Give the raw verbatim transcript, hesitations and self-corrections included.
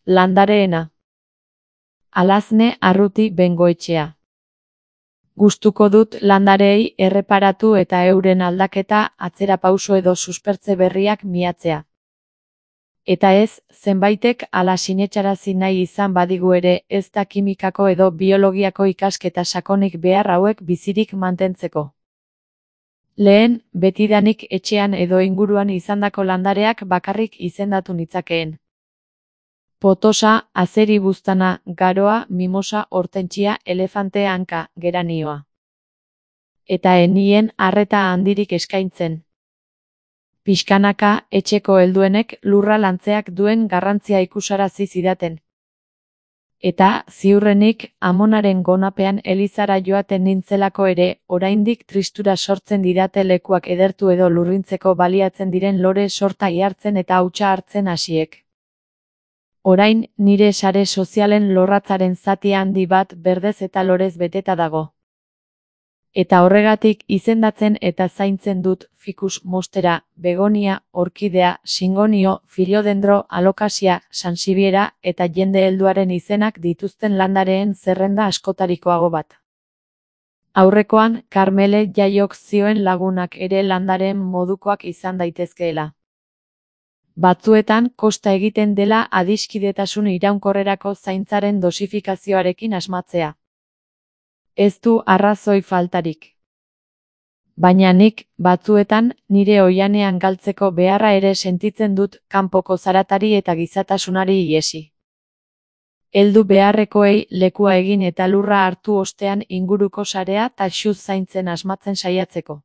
Landareena. Alazne Arruti Bengoetxea. Gustuko dut landareei erreparatu eta euren aldaketa, atzerapauso edo suspertze berriak miatzea. Eta ez, zenbaitek ala sinetsarazi nahi izan badigu ere, ez da kimikako edo biologiako ikasketa sakonik behar hauek bizirik mantentzeko. Lehen, betidanik etxean edo inguruan izandako landareak bakarrik izendatu nitzakeen. Potosa, azeri buztana, garoa, mimosa, hortentsia, elefante hanka, geranioa. Eta enien arreta handirik eskaintzen. Pixkanaka, etxeko helduenek lurra lantzeak duen garrantzia ikusarazi zidaten. Eta, ziurrenik, amonaren gonapean elizara joaten nintzelako ere, oraindik tristura sortzen didate lekuak edertu edo lurrintzeko baliatzen diren lore sorta ihartzen eta hautsa hartzen hasiek. Orain, nire sare sozialen lorratzaren zati handi bat berdez eta lorez beteta dago. Eta horregatik izendatzen eta zaintzen dut fikus mostera, begonia, orkidea, singonio, filiodendro, alokasia, sansibiera eta jende helduaren izenak dituzten landareen zerrenda askotarikoago bat. Aurrekoan, Karmele Jaiok zioen lagunak ere landareen modukoak izan daitezkeela. Batzuetan kosta egiten dela adiskidetasun iraunkorrerako zaintzaren dosifikazioarekin asmatzea. Ez du arrazoi faltarik. Baina nik, batzuetan, nire oihanean galtzeko beharra ere sentitzen dut kanpoko zaratari eta gizatasunari ihesi. Heldu beharrekoei lekua egin eta lurra hartu ostean inguruko sarea taxuz zaintzen asmatzen saiatzeko.